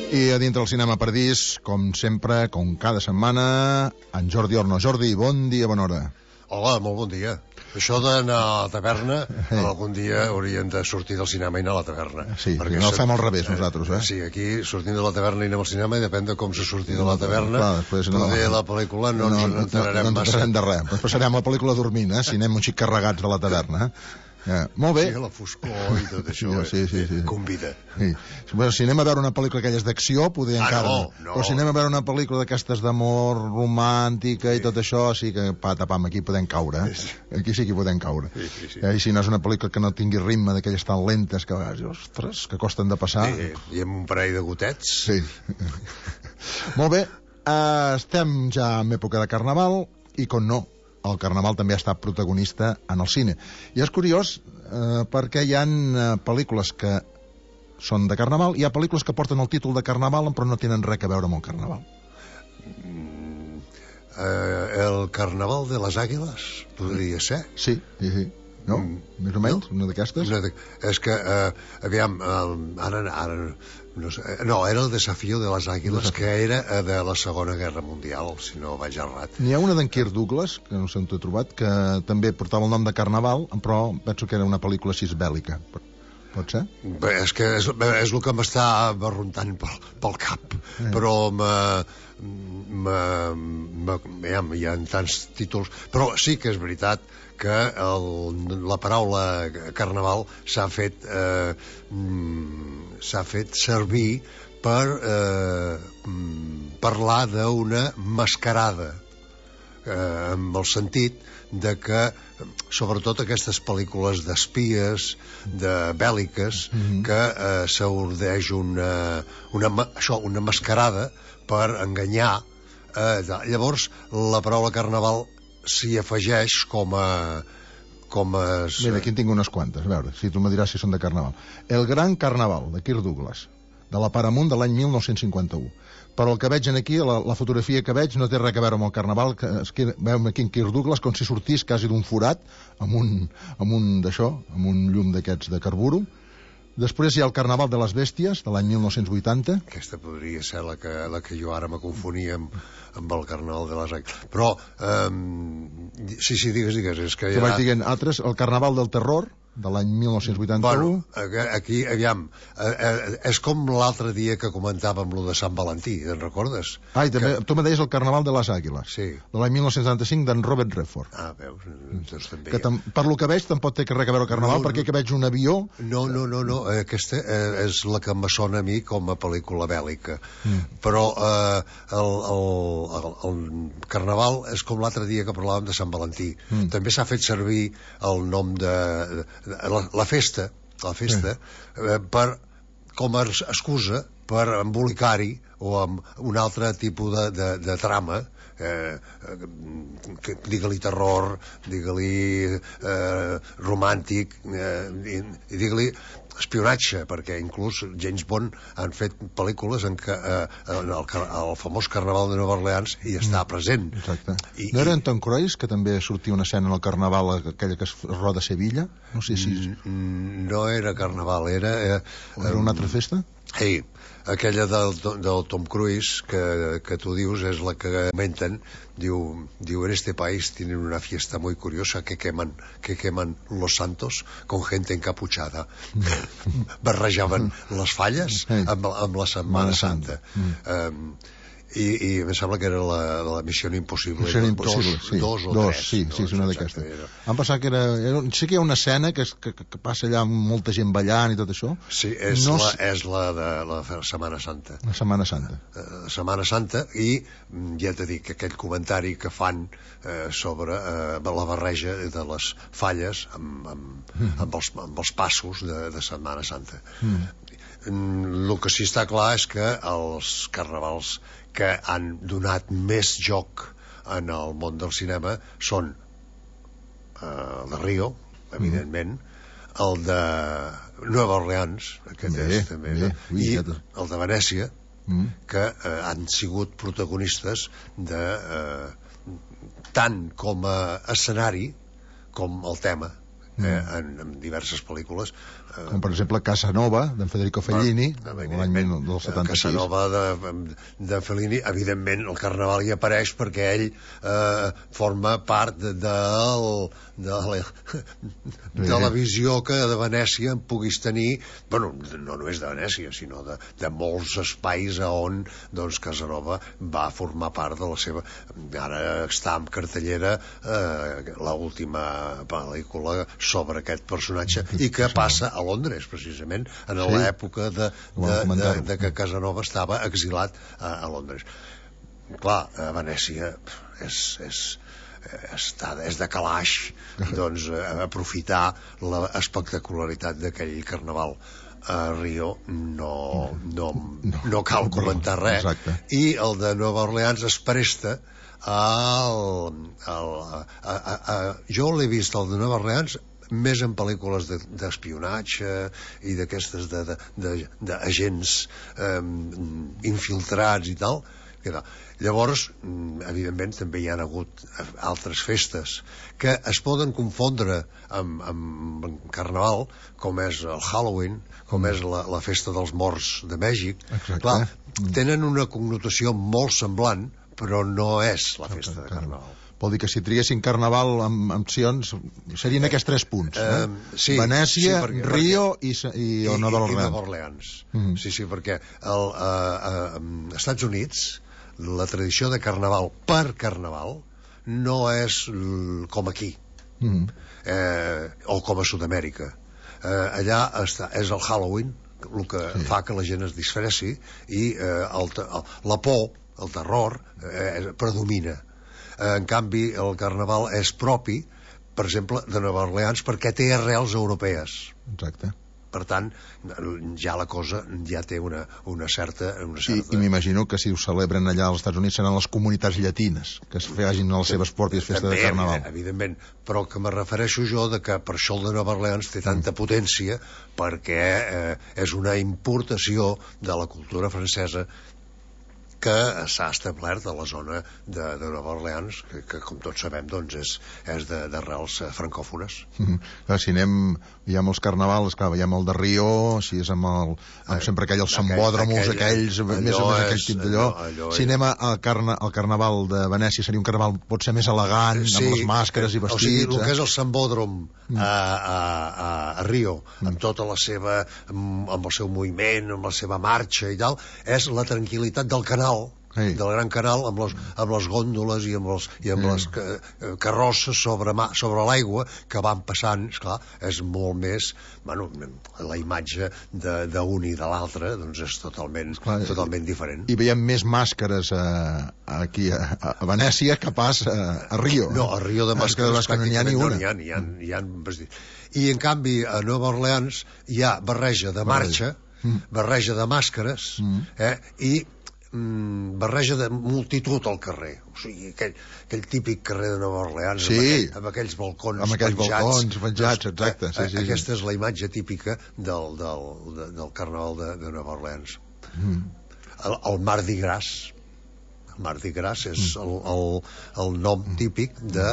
I a dintre del Cinema Paradís, com sempre, com cada setmana, en Jordi Orno. Jordi, bon dia, bona hora. Hola, molt bon dia. Això d'anar a la taverna, algun dia hauríem de sortir del cinema i anar a la taverna. Sí, perquè no fem al revés nosaltres, eh? Sí, aquí sortim de la taverna i anem al cinema i depèn de com se surti de la taverna. Poder la pel·lícula no ens enterarem massa. No ens de res. Ens passarem la pel·lícula dormint, si anem un xic carregats de la taverna, molt bé. Sí, la foscor i tot això, sí. convida. Sí. Bueno, si anem a veure una pel·lícula aquelles d'acció, poder encara... No. Però si anem a veure una pel·lícula d'aquestes d'amor romàntica i tot això, sí que patapam, aquí podem caure. Aquí sí que podem caure. Sí. I si no és una pel·lícula que no tingui ritme, d'aquelles tan lentes que, ostres, que costen de passar. I amb un parell de gotets. Sí. Molt bé, estem ja en època de Carnaval i, com no, el Carnaval també ha estat protagonista en el cine. I és curiós perquè hi ha pel·lícules que són de Carnaval i hi ha pel·lícules que porten el títol de Carnaval però no tenen res a veure amb el Carnaval. El Carnaval de les Àguiles podria ser? Sí. No? Més o menys? Una d'aquestes? És que, aviam, ara no sé, no, era el Desafío de les Àguiles, que era de la Segona Guerra Mundial, si no vaig errat. N'hi ha una d'en Kirk Douglas, que no sé on t'he trobat, que també portava el nom de Carnaval, però penso que era una pel·lícula així bèl·lica. Pot ser? Bé, és que és el que m'està barruntant pel cap, però hi ha tants títols, però sí que és veritat que la paraula Carnaval s'ha fet servir per parlar d'una mascarada, amb el sentit de que sobretot aquestes pel·lícules d'espies, de bèl·liques, que s'ordeix una mascarada per enganyar. Llavors la paraula Carnaval s'hi afegeix com a... Mira, aquí en tinc unes quantes, a veure, si tu me diràs si són de Carnaval. El Gran Carnaval, de Kirk Douglas, de la Paramount de l'any 1951. Però el que veig aquí, la fotografia que veig, no té res a veure amb el Carnaval, que veiem aquí en Kirk Douglas com si sortís quasi d'un forat, amb un llum d'aquests de carburo. Després hi ha el Carnaval de les Bèsties, de l'any 1980. Aquesta podria ser la que jo ara me confonia amb el Carnaval de les Àguiles. Però, sí, digues, és que ja... vaig dient altres, el Carnaval del Terror, de l'any 1981. Bueno, aquí, aviam, és com l'altre dia que comentàvem lo de Sant Valentí, te'n recordes? També, tu me deies el Carnaval de les Àguiles, sí, de l'any 1975, d'en Robert Redford. Veus, doncs també. Que per lo que veig tampoc té res a veure el Carnaval, perquè que veig un avió... No, aquesta és la que em sona a mi com a pel·lícula bèl·lica. Però el Carnaval és com l'altre dia que parlàvem de Sant Valentí. També s'ha fet servir el nom de la festa com a excusa per embolicar-hi o amb un altre tipus de trama, digue-li terror, digue-li romàntic, i digue-li espionatge, perquè inclús James Bond han fet pel·lícules en què el famós Carnaval de Nova Orleans hi està present. Exacte. No era en Tom Cruise, que també sortia una escena en el Carnaval, aquella que es roda a Sevilla? No sé si... No era Carnaval, era... Era una altra festa? Sí, aquella del Tom Cruise que tu dius és la que comenten. Diu, en este país tienen una fiesta muy curiosa que queman los santos con gente encapuchada. Barrejaven les falles amb la Setmana Santa. I em sembla que era la Missió Impossible. Missió Impossible, sí. Dos o tres. Sí, és una d'aquestes. Em pensava que era... Sí que hi ha una escena que passa allà amb molta gent ballant i tot això. Sí, és la de la Setmana Santa. La Setmana Santa. La Setmana Santa, i ja t'he dit que aquell comentari que fan sobre la barreja de les falles amb els passos de Setmana Santa. El que sí està clar és que els carnavals que han donat més joc en el món del cinema són el de Rio, evidentment, el de Nova Orleans, i el de Venècia, que han sigut protagonistes tant com a escenari com el tema, en diverses pel·lícules. Com per exemple Casanova, d'en Federico Fellini, l'any 1976. Casanova de Fellini, evidentment el Carnaval hi apareix perquè ell forma part de la visió que de Venècia en puguis tenir, bueno, no només de Venècia, sinó de molts espais on doncs Casanova va formar part de la seva... Ara està en cartellera l'última pel·lícula sobre aquest personatge i que passa a Londres, precisament, en l'època de que Casanova estava exilat a Londres. Clar, a Venècia és de calaix, doncs, aprofitar l'espectacularitat d'aquell carnaval. A Rio no cal comentar res. Exacte. I el de Nova Orleans es presta jo l'he vist, el de Nova Orleans, més en pel·lícules d'espionatge i d'aquestes d'agents infiltrats i tal. Llavors, evidentment, també hi ha hagut altres festes que es poden confondre amb Carnaval, com és el Halloween, com és la festa dels morts de Mèxic. Clar, tenen una connotació molt semblant, però no és la festa de Carnaval. Vol dir que si triguessin Carnaval amb opcions serien aquests 3 punts, sí, Venècia, sí, Rio i Nova Orleans. I Nova Orleans. Sí, perquè als Estats Units la tradició de Carnaval per Carnaval no és com aquí, o com a Sud-amèrica. Allà és el Halloween el que fa que la gent es disfressi i la por, el terror predomina. En canvi el Carnaval és propi, per exemple, de Nova Orleans, perquè té arrels europees. Exacte. Per tant, ja la cosa ja té una certa... I m'imagino que si ho celebren allà als Estats Units seran les comunitats llatines que es facin les seves pròpies festes de Carnaval. Evidentment, però que me refereixo jo de que per això el de Nova Orleans té tanta potència, perquè és una importació de la cultura francesa que s'ha establert a la zona de Nova Orleans, que com tots sabem doncs és d'arrels francòfones. Si anem ja amb els carnavals, clar, veiem el de Rio, si és amb sempre aquells sambòdromos, aquells, més o menys aquell tip d'allò. Si anem al carnaval de Venècia, seria un carnaval potser més elegant, amb les màscares i vestits. O sigui, el que és el sambòdrom a Rio, amb tota la seva, amb el seu moviment, amb la seva marxa i tal, és la tranquil·litat del canal, del Gran Canal, amb les gòndoles i amb les carrosses sobre l'aigua que van passant. Esclar, és molt més, bueno, la imatge d'un i de l'altre doncs és totalment diferent. I veiem més màscares aquí a Venècia que pas a Rio. No, a Rio de màscares no n'hi ha ni una. Hi ha i en canvi a Nova Orleans hi ha barreja de marxa, barreja de màscares i barreja de multitud al carrer. O sigui, aquell típic carrer de Nova Orleans, amb aquells balcons penjats, exacte. Aquesta és la imatge típica del Carnaval de Nova Orleans. El Mardi Gras. El Mardi Gras és el nom típic de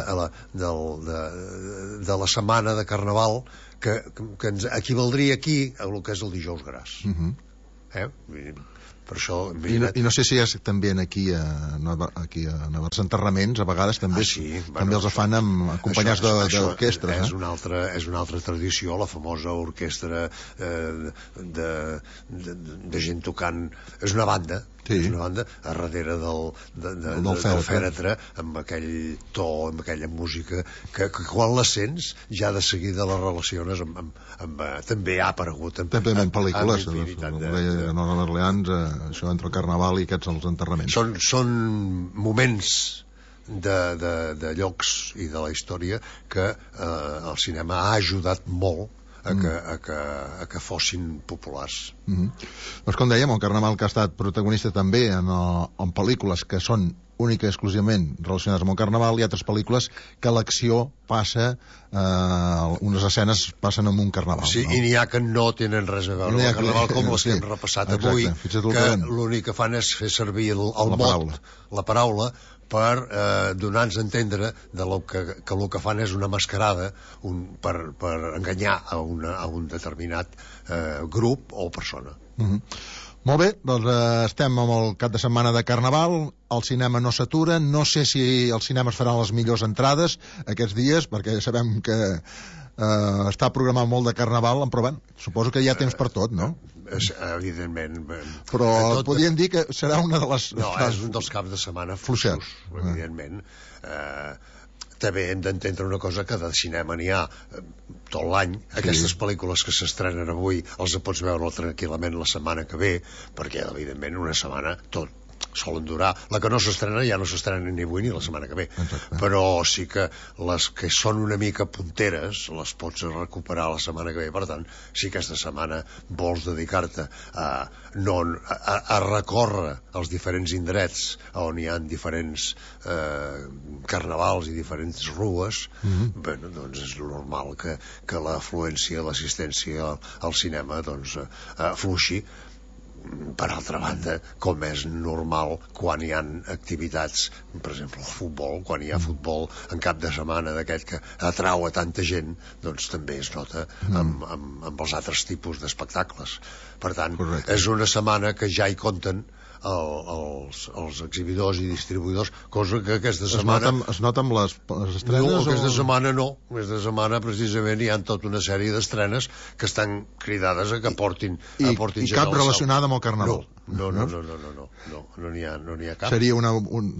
la setmana de Carnaval que ens equivaldria aquí a el que és el Dijous Gras. Per això, i no sé si és també aquí a els enterraments a vegades també els fan acompanyats d'orquestres. És una altra tradició, la famosa orquestra de gent tocant. És una banda a darrere del fèretre, amb aquell to, amb aquella música que quan la sents ja de seguida la relaciones també ha aparegut també en pel·lícules de Nova Orleans, això entre el Carnaval i aquests els enterraments. Són moments de llocs i de la història que el cinema ha ajudat molt a que fossin populars. Doncs com dèiem, el Carnaval que ha estat protagonista també en pel·lícules que són única i exclusivament relacionades amb el Carnaval, i altres pel·lícules que l'acció passa, unes escenes passen en un Carnaval. Sí, i n'hi ha que no tenen res a veure amb el Carnaval, com les que hem repassat avui, que l'únic que fan és fer servir el mot, la paraula, per donar-nos a entendre que el que fan és una mascarada per enganyar a un determinat grup o persona. Molt bé, doncs estem amb el cap de setmana de Carnaval, el cinema no s'atura, no sé si els cinemes faran les millors entrades aquests dies, perquè sabem que està programat molt de Carnaval, però bé, suposo que hi ha temps per tot, no? Evidentment. Però podríem dir que serà una de les... No, és un dels caps de setmana fluixos, evidentment. També hem d'entendre una cosa, que de cinema n'hi ha tot l'any. Aquestes pel·lícules que s'estrenen avui els pots veure tranquil·lament la setmana que ve, perquè evidentment una setmana solen durar. La que no s'estrena ja no s'estrena ni avui ni la setmana que ve. Exacte. Però sí que les que són una mica punteres les pots recuperar la setmana que ve. Per tant, si aquesta setmana vols dedicar-te a recórrer els diferents indrets on hi ha diferents carnavals i diferents rues, bueno, doncs és normal que l'afluència, l'assistència al cinema fluixi. Per altra banda, com és normal quan hi ha activitats, per exemple el futbol, quan hi ha futbol en cap de setmana d'aquest que atrau a tanta gent, doncs també es nota amb els altres tipus d'espectacles. Per tant, és una setmana que ja hi compten els exhibidors i distribuïdors, cosa que aquesta setmana... Es nota amb les estrenes? No, aquesta setmana no. Aquesta setmana precisament hi ha tota una sèrie d'estrenes que estan cridades a que portin I cap relacionada amb el Carnaval? No n'hi ha cap. Seria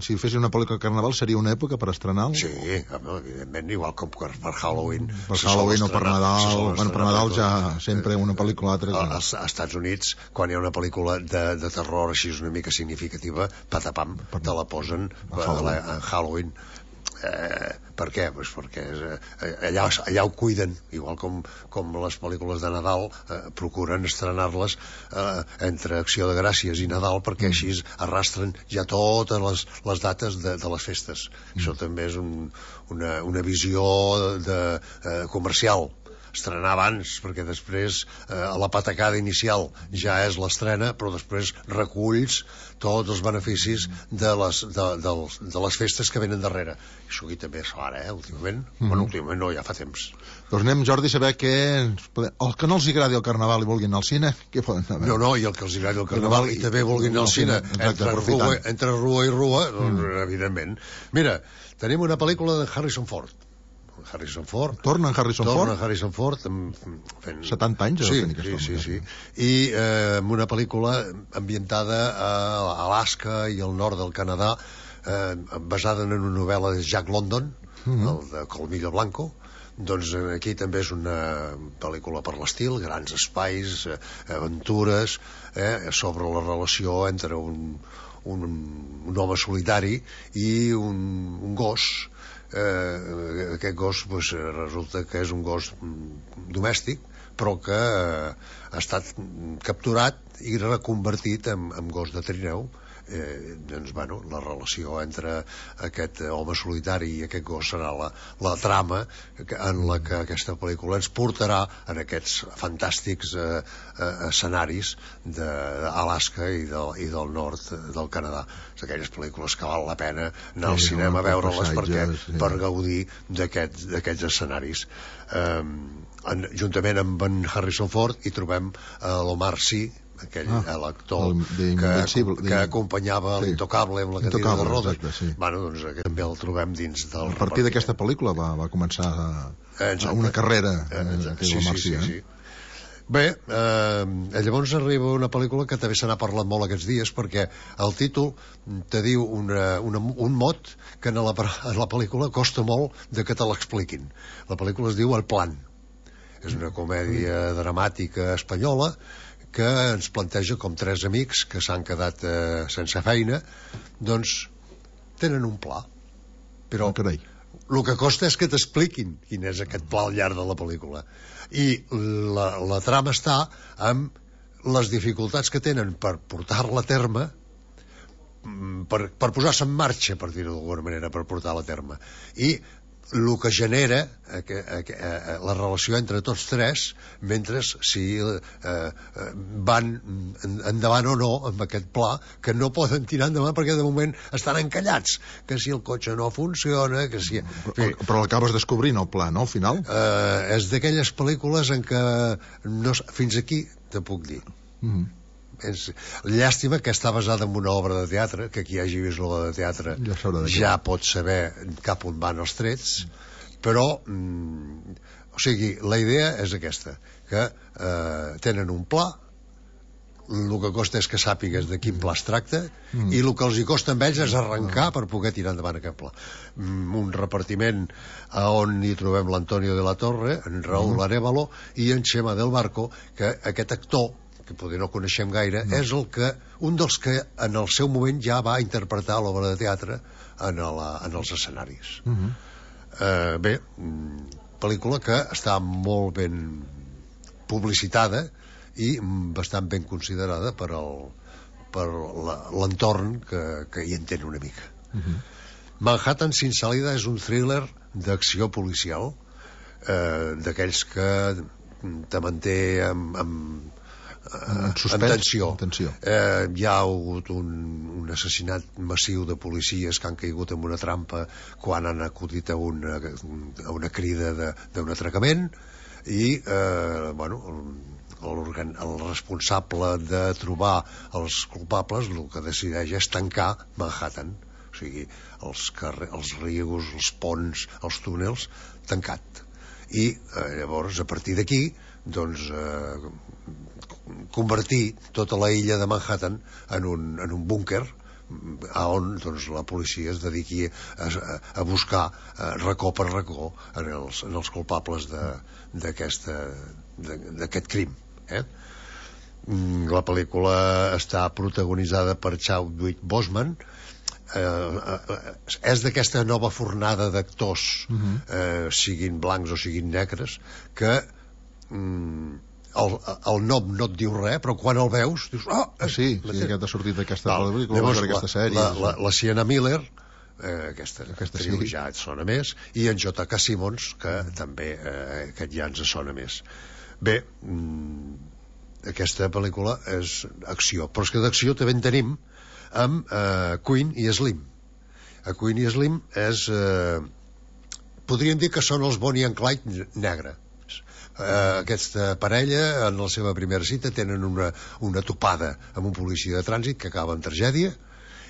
si fessin una pel·lícula de Carnaval, seria una època per estrenar-lo? Sí, evidentment, igual com per Halloween. Per Halloween o per Nadal. Bueno, per Nadal ja sempre una pel·lícula o altra. Als Estats Units, quan hi ha una pel·lícula de terror així una mica significativa, patapam, te la posen a Halloween. Per què? Pues perquè allà ho cuiden, igual com les pel·lícules de Nadal procuren estrenar-les entre Acció de Gràcies i Nadal, perquè així arrastren ja totes les dates de les festes. Això també és una visió comercial, estrenar abans, perquè després la patacada inicial ja és l'estrena, però després reculls tots els beneficis de les festes que venen darrere. Això aquí també es fa ara, últimament. Bueno, últimament no, ja fa temps. Doncs anem, Jordi, a saber què... Els que no els agradi el Carnaval i vulguin anar al cine, què poden saber? No, i el que els agradi el Carnaval i també vulguin anar al cine, entre rua i rua, doncs, evidentment. Mira, tenim una pel·lícula de Harrison Ford. Torna en Harrison Ford fent 70 anys. Sí. I amb una pel·lícula ambientada a Alaska i al nord del Canadà, basada en una novel·la de Jack London, el de Colmillo Blanco. Doncs aquí també és una pel·lícula per l'estil, grans espais, aventures, sobre la relació entre un home solitari i un gos. Aquest gos resulta que és un gos domèstic, però que ha estat capturat i reconvertit en gos de trineu. Doncs, bueno, la relació entre aquest home solitari i aquest gos serà la trama en la que aquesta pel·lícula ens portarà en aquests fantàstics escenaris d'Alaska i del nord del Canadà. És aquelles pel·lícules que val la pena anar al cinema a veure-les per gaudir d'aquests escenaris. Juntament amb en Harrison Ford hi trobem l'Omar Sy, l'actor que acompanyava l'Intocable amb la cadira de rodes. Bueno, doncs també el trobem dins del... A partir d'aquesta pel·lícula va començar una carrera. Sí. Bé, llavors arriba una pel·lícula que també se n'ha parlat molt aquests dies, perquè el títol te diu un mot que en la pel·lícula costa molt de que te l'expliquin. La pel·lícula es diu El Plan. És una comèdia dramàtica espanyola que ens planteja com tres amics que s'han quedat sense feina, doncs tenen un pla, però el que costa és que t'expliquin quin és aquest pla al llarg de la pel·lícula, i la trama està amb les dificultats que tenen per portar-la a terme, per posar-se en marxa, per dir-ho d'alguna manera, per portar-la a terme, i el que genera la relació entre tots tres, mentre si van endavant o no amb aquest pla, que no poden tirar endavant perquè de moment estan encallats, que si el cotxe no funciona, que si... Però l'acabes descobrint, el pla, no, al final? És d'aquelles pel·lícules en què fins aquí te puc dir. És llàstima que està basada en una obra de teatre, que qui hagi vist l'obra de teatre ja pot saber cap on van els trets, però o sigui, la idea és aquesta, que tenen un pla, el que costa és que sàpigues de quin pla es tracta, i el que els hi costa amb ells és arrencar per poder tirar endavant aquest pla. Un repartiment on hi trobem l'Antonio de la Torre, en Raúl Arévalo i en Chema del Barco, que aquest actor, que potser no coneixem gaire, és un dels que en el seu moment ja va interpretar l'obra de teatre en els escenaris. Bé, pel·lícula que està molt ben publicitada i bastant ben considerada per l'entorn que hi entén una mica. Manhattan sin salida és un thriller d'acció policial, d'aquells que te manté amb tensió. Hi ha hagut un assassinat massiu de policies que han caigut en una trampa quan han acudit a una crida d'un atracament i el responsable de trobar els culpables el que decideix és tancar Manhattan, o sigui, els rius, els ponts, els túnels, tancat. I llavors a partir d'aquí doncs convertir tota la illa de Manhattan en un búnquer on doncs, la policia es dediqui a buscar racó per racó en els culpables d'aquest crim. La pel·lícula està protagonitzada per Chadwick Boseman. És d'aquesta nova fornada d'actors, siguin blancs o siguin negres, que el nom no et diu res, però quan el veus dius, sí, aquest ha sortit d'aquesta pel·lícula, d'aquesta sèrie. La Sienna Miller, aquesta actriu ja et sona més, i en J.K. Simmons, que també aquest ja ens sona més. Bé, aquesta pel·lícula és acció, però és que d'acció també en tenim amb Queen i Slim. Queen i Slim podríem dir que són els Bonnie and Clyde negre. Aquesta parella en la seva primera cita tenen una topada amb un policia de trànsit que acaba en tragèdia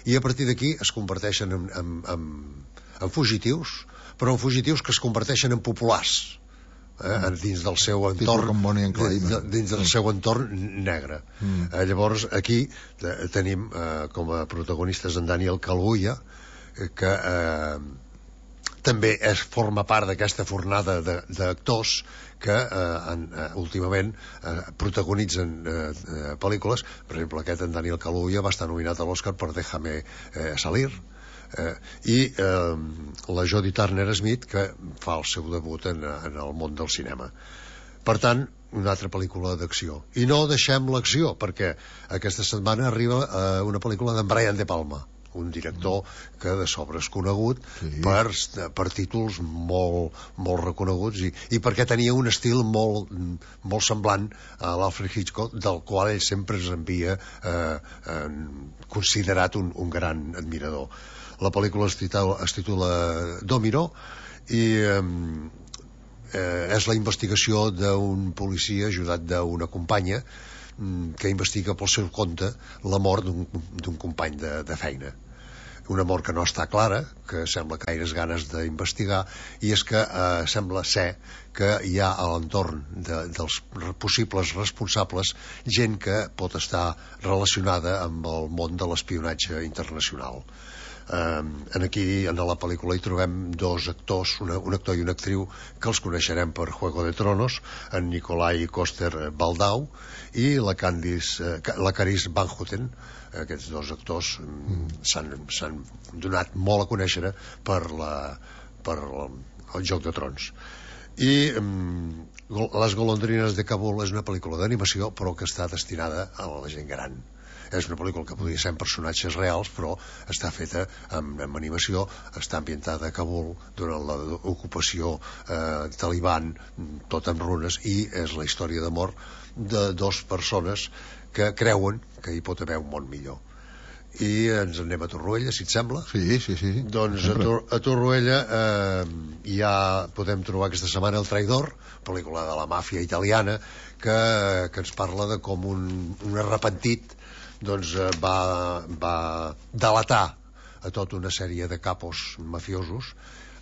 i a partir d'aquí es converteixen en fugitius, però en fugitius que es converteixen en populars dins del seu entorn, dins del seu entorn negre. Llavors aquí tenim com a protagonistes en Daniel Kaluuya, que també forma part d'aquesta fornada d'actors que últimament protagonitzen pel·lícules. Per exemple, aquest en Daniel Kaluuya va estar nominat a l'Oscar per Déjame salir, i la Jodie Turner-Smith, que fa el seu debut en el món del cinema. Per tant, una altra pel·lícula d'acció. I no deixem l'acció, perquè aquesta setmana arriba una pel·lícula d'en Brian De Palma, un director que de sobre és conegut per títols molt reconeguts i perquè tenia un estil molt semblant a l'Alfred Hitchcock, del qual ell sempre es havia considerat un gran admirador. La pel·lícula es titula Domino i és la investigació d'un policia ajudat d'una companya que investiga pel seu compte la mort d'un company de feina. Una mort que no està clara, que sembla que gaires ganes d'investigar, i és que sembla ser que hi ha a l'entorn dels possibles responsables gent que pot estar relacionada amb el món de l'espionatge internacional. Aquí en la pel·lícula hi trobem dos actors, un actor i una actriu que els coneixerem per Juego de Tronos, en Nikolai Coster-Waldau i la Carice Van Houten. Aquests dos actors s'han donat molt a conèixer per el Joc de Trons. I Les golondrines de Kabul és una pel·lícula d'animació però que està destinada a la gent gran. és una pel·lícula que podria ser amb personatges reals, però està feta amb animació, està ambientada a Kabul durant l'ocupació taliban, tot en runes, i és la història d'amor de dues persones que creuen que hi pot haver un món millor. I ens anem a Torroella, si et sembla. Sí. Doncs a Torroella ja podem trobar aquesta setmana El traïdor, pel·lícula de la màfia italiana, que ens parla de com un arrepentit doncs va delatar a tota una sèrie de capos mafiosos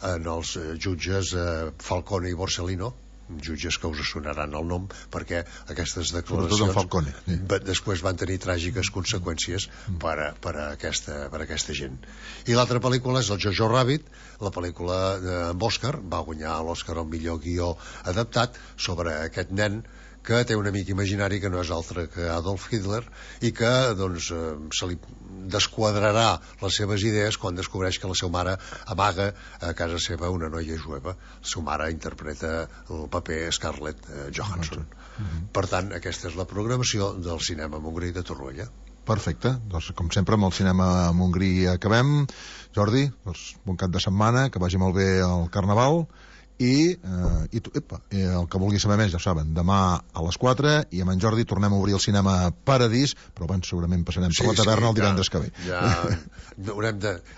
en els jutges Falcone i Borsellino, jutges que us sonaran el nom, perquè aquestes declaracions després van tenir tràgiques conseqüències per a aquesta gent. I l'altra pel·lícula és el Jojo Rabbit, la pel·lícula amb Òscar, va guanyar l'Òscar al millor guió adaptat, sobre aquest nen que té un amic imaginari que no és altre que Adolf Hitler i que doncs, se li desquadrarà les seves idees quan descobreix que la seva mare amaga a casa seva una noia jueva. La seva mare interpreta el paper Scarlett Johansson. Per tant, aquesta és la programació del cinema Montgrí de Torroella. Perfecte, doncs com sempre amb el cinema Montgrí acabem. Jordi, doncs, bon cap de setmana, que vagi molt bé el Carnaval. I el que vulgui saber més ja ho saben, demà a les 4 i amb en Jordi tornem a obrir el cinema Paradís, però abans segurament passarem per la taverna el divendres que ve.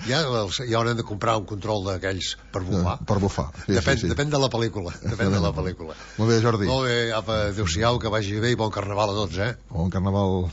Ja haurem de comprar un control d'aquells per bufar. Depèn de la pel·lícula. Molt bé, Jordi. Molt bé, apa, adéu-siau, que vagi bé i bon Carnaval a tots, Bon Carnaval.